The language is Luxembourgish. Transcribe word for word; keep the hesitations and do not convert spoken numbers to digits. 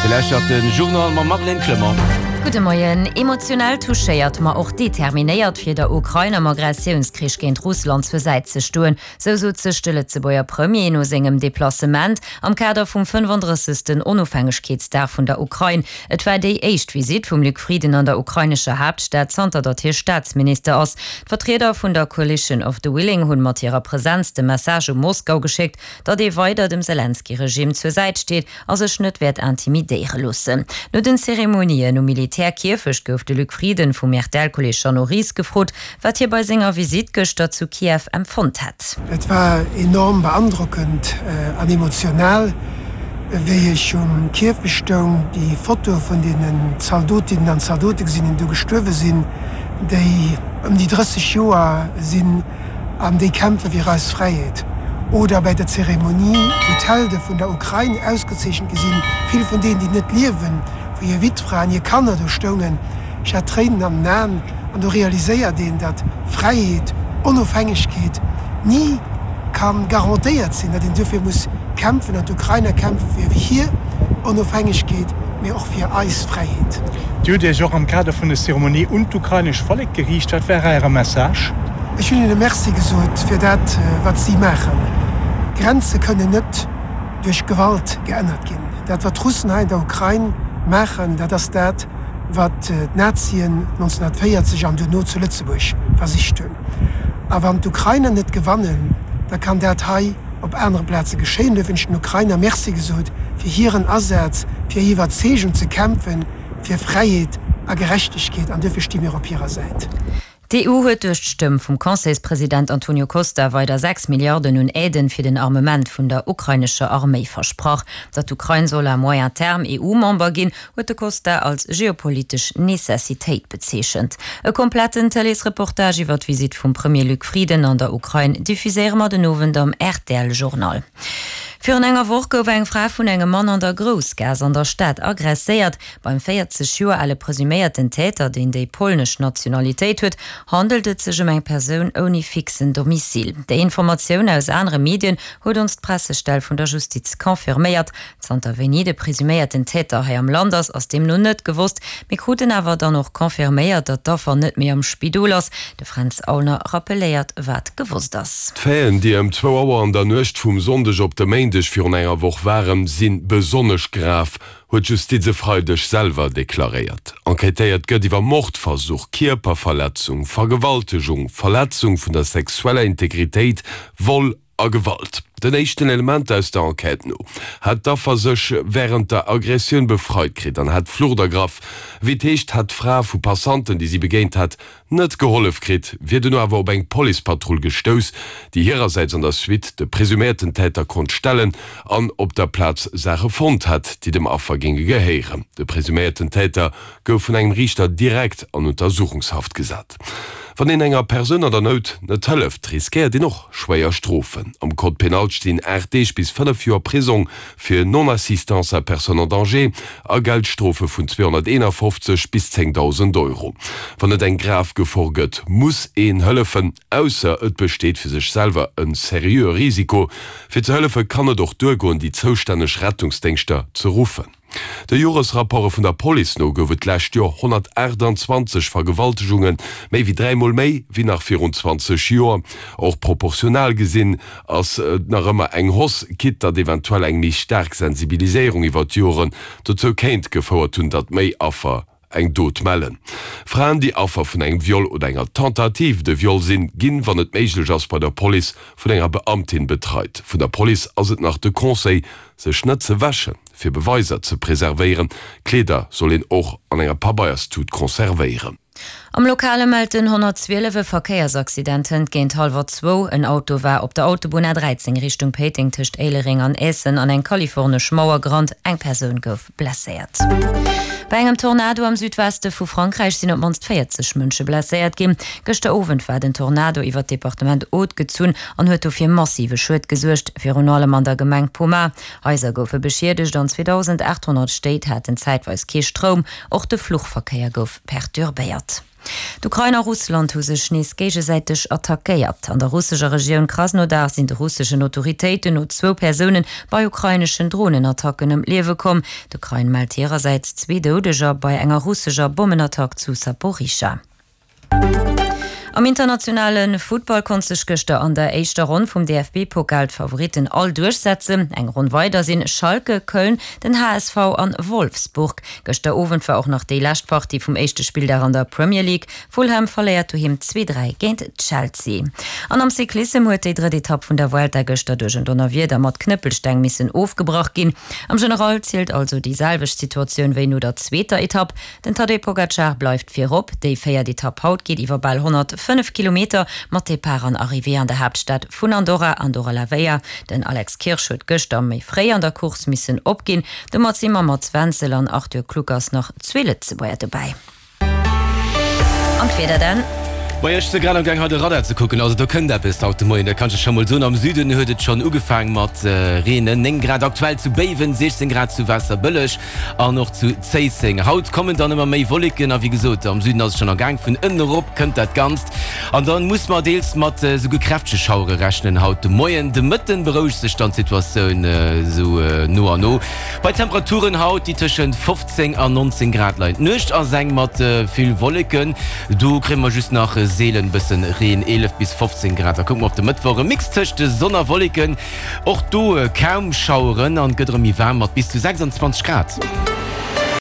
Dir lauschtert de Journal mam Marlène Clement. Gudde Moien. Emotionell touchéiert, ma och determinéiert fir der Ukrain am Agressiounskrich géint Russland zur Säit ze stoen, sou sot sech de Lëtzebuerger Premier no sengem Deplacement am Kader vum fënnfandrëssegsten Onofhängegkeetsdag vun der Ukrain. Et war déi éischt Visitt vum Luc Frieden an der ukrainescher Haaptstad zanter datt hie Staatsminister ass. D'Vertrieder vun der Coalition of the Willing hunn mat hirer Presenz de Message u Moskau geschéckt, datt ee weider dem Selenskyj-Regimm zur Säit steet a sech net wäert intimidéiere loossen. No den Zeremonien um Militärkierfecht gouf de Luc Frieden vum R T L-Kolleeg Jeannot Ries gefrot, wat hie bei senger Visitt gëschter zu Kiew empfonnt hätt. Et war enorm beandrockend an emotional, wéi ech um Kierfecht stoung, déi Fotoe vun deenen Zaldotinnen an Zaldote gesinn hunn, déi do gestuerwe sinn, déi ëm déi drësseg Joer sinn an déi kämpfe fir eis Fräiheet. Oder bei der Zeremonie, wou d'Helde vun der Ukrain ausgezeechent gi sinn, vill vun deenen, déi net liewen, wou hir Wittfraen, hir Kanner do stoungen. Ech hat Tréinen an den Aen. An do realiséiert een, datt Fräiheet, Onofhängegkeet ni ka garantéiert sinn, datt een duerfir muss kämpfen. An d'Ukrainer kämpfe fir hir Onofhängegkeet, mee och fir eis Fräiheet. Dir hutt Iech och am Kader vun der Zeremonie un d'ukrainesch Vollek geriicht. Wat war Äre Message? Ech hunn hinne Merci gesot fir dat, wat si maachen. Grenze kënnen net duerch Gewalt geännert ginn. Dat, wat d'Russen hei an der Ukrain maachen, dat ass dat, wat d'Nazien nonzénhunnertvéierzeg an duerno zu Lëtzebuerg versicht hunn. A wann d'Ukrainer net gewannen, da kann dat hei op anere Plaze geschéien. Duerfir hunn ech den Ukrainer Merci gesot fir hiren Asaz, fir hir Iwwerzeegung ze kämpfen fir Fräiheet a Gerechtegkeet. An duerfir sti mir op hirer Säit. D'E U huet duerch d'Stëmm vum Conseilspresident Antonio Costa weider sechs Milliarden un Aiden fir den Armement vun der ukrainescher Arméi versprach. Datt d'Ukrain soll à moyen terme E U-Member ginn, huet de Costa als geopolitesch Necessitéit bezeechent. E kompletten Tëleesreportage iwwer d'Visitt vum Premier Luc Frieden an der Ukrain diffuséiere mer den Owend am R T L-Journal. Virun enger Woch gouf eng Fra vun engem Mann an der Groussgaass an der Stad agresséiert. Beim véierzeg Joer ale presuméierten Täter, deen déi polnesch Nationalitéit huet, handelt et sech ëm eng Persoun ouni fixen Domicile. Déi Informatioun aus anere Medien huet ons d'Pressestell vun der Justiz confirméiert. Zanter wéini de presuméierten Täter hei am Land ass, ass deemno net gewosst. Mir kruten awer dann och confirméiert, datt d'Affer net méi am Spidol ass. De Fränz Aulner rappelléiert, wat gewosst ass. D'Faiten, déi ëm zwou Auer an der Nuecht vum Sonndeg op de Méindeg virun enger Woch waren, si besonnesch grav, huet d'Justiz e Freideg selwer deklaréiert. Enquêtéiert gëtt iwwer Mordversuch, Kierperverletzung, Vergewaltegung, Verletzung vun der sexueller Integritéit, Vol a Gewalt. Den éischten Elementer aus der Enquête no hat d'Affer sech wärend der Aggressioun befreit kritt an hat d'Flucht ergraff. Wéi et heescht, hat d'Fra vu Passanten, déi si begéint hat, net gehollef kritt, wier duerno awer op eng Policepatrull gestouss, déi hirersäits an der Suite de presuméierten Täter konnt stellen an op der Plaz Saache fonnt hat, déi dem Affer géinge gehéieren. De presuméierten Täter gouf vun engem Riichter direkt an Untersuchungshaft gesat. Wann een enger Persoun an der Nout net hëlleft, riskéiert een och schwéier Strofen. Am Code pénal stinn aacht Deeg bis fënnef Joer Prisong fir Non-assistance à personne en danger a Geldstrofe vun zweehonnerteenafofzeg bis zéngdausend Euro. Wann et eng grav Gefor gëtt, muss een hëllefen, ausser et besteet fir sech selwer e seriöe Risiko. Fir ze hëllefe kann et och duergoen, déi zoustänneg Rettungsdéngschter ze ruffen. De Joresrapporte vun der Police no gouf et d'lescht Joer honnertaachtanzwanzeg Vergewaltegungen, méi wéi dräi Mol méi wéi nach virun zwanzeg Joer. Och proportional gesinn ass et nach ëmmer eng Hausse, quitte datt eventuell eng méi staark Sensibiliséierung iwwer d'Joren dozou kéint gefouert hunn, datt méi Affer eng Dot mellen. Fraen, déi Affer vun engem Viol oder enger Tentative de viol sinn, ginn, wann et méiglech ass, bei der Police vun enger Beamtin betreit. Vun der Police ass et nach de Conseil, sech net ze wäschen, fir Beweiser ze preservéieren. Kleeder soll een och an enger Pabeierstut conservéieren. Am Lokale mellt den honnertzwielef e Verkéiersaccident hënt géint hallwer zwou. En Auto war op der Autobunn A dräizéng Richtung Péiteng tëscht Éilereng an Eessen an eng kalifornesch Mauer gerannt. Eng Persoun gouf blesséiert. Bei engem Tornado am Südweste vu Frankräich sinn op d'mannst véierzeg Mënsche blesséiert ginn. Gëschter Owend war den Tornado iwwer d'Departement Aude gezunn an huet do fir massive Schued gesuergt, virun allem an der Gemeng Pomas. Haiser goufe beschiedegt an zweedausendaathonnert Stéit haten zäitweis kee Stroum. Och de Fluchverkéier gouf perturbéiert. D'Ukrain a Russland hu sech nees géigesäiteg attackéiert. An der russescher Regioun Krasnodar sinn de russeschen Autoritéiten no zwou Persoune bei ukraineschen Dronenattacken ëm d'Liewe komm. D'Ukrain mellt hirersäits zwee Doudeger bei enger russescher Bommenattack zu Saporischschja. Am internationale Futtball konnt sech gëschter an der éischter Ronn vum D F B-Pokal d'Favoritten all duerchsetzen. Eng Ronn weider sinn Schalke, Köln, den H S V an Wolfsburg. Gëschter Owend war och nach déi lescht Partie vum éischte Spilldag an der Premier League. Fulham verléiert doheem zwee dräi géint Chelsea. An am Cyclissem huet déi drëtt Etapp vun der Vuelta gëschter duerch en Donnerwieder mat Knëppelsteng missen ofgebrach ginn. Am General zielt also déi selwecht Situatioun wéi no der zweeter Etapp. Den Tadej Pogacar bleift virop. Déi véiert Etapp haut geet iwwer bal honnertfënnef Kilometer mat Depart an Arrivée an der Haaptstad vun Andorra, Andorra la Vella. Den Alex Kirsch huet gëschter méi fréi an der Course missen opginn. Domat si mam Mats Wenzel an Arthur Kluckers nach zwee Lëtzebuerger dobäi. An d'Wieder dann. Majo, ech si grad am Gaang hei de Radar ze kucken, also do kënnt eppes haut de Moien, dat kann ech scho mol soen. Am Süden huet et schonn ugefaang mat reenen, néng Grad aktuell zu Béiwen, siechzéng Grad zu Waasserbëlleg an och zu Zéisseng. Haut kommen dann ëmmer méi Wolleken a wéi gesot, am Süden ass et schonn am Gaang, vun ënnen erop kënnt dat Ganzt an dann muss mer deels mat esouguer kräftege Schauere rechnen haut de Moien. De Mëtten berouegt sech dann d'Situatioun esou no an no bei Temperaturen haut, déi tëschent fofzéng an nonzéng Grad leien. D'Nuecht ass eng mat vill Wolleken, do kréie mer just nach seelen bëssen Reen, eelef bis fofzéng Grad. Da kucke mer op de Mëttwoch, e Mix tëscht Sonn a Wolleken, och do kaum Schaueren an et gëtt erëm méi waarm mat bis zu sechsandzwanzeg Grad.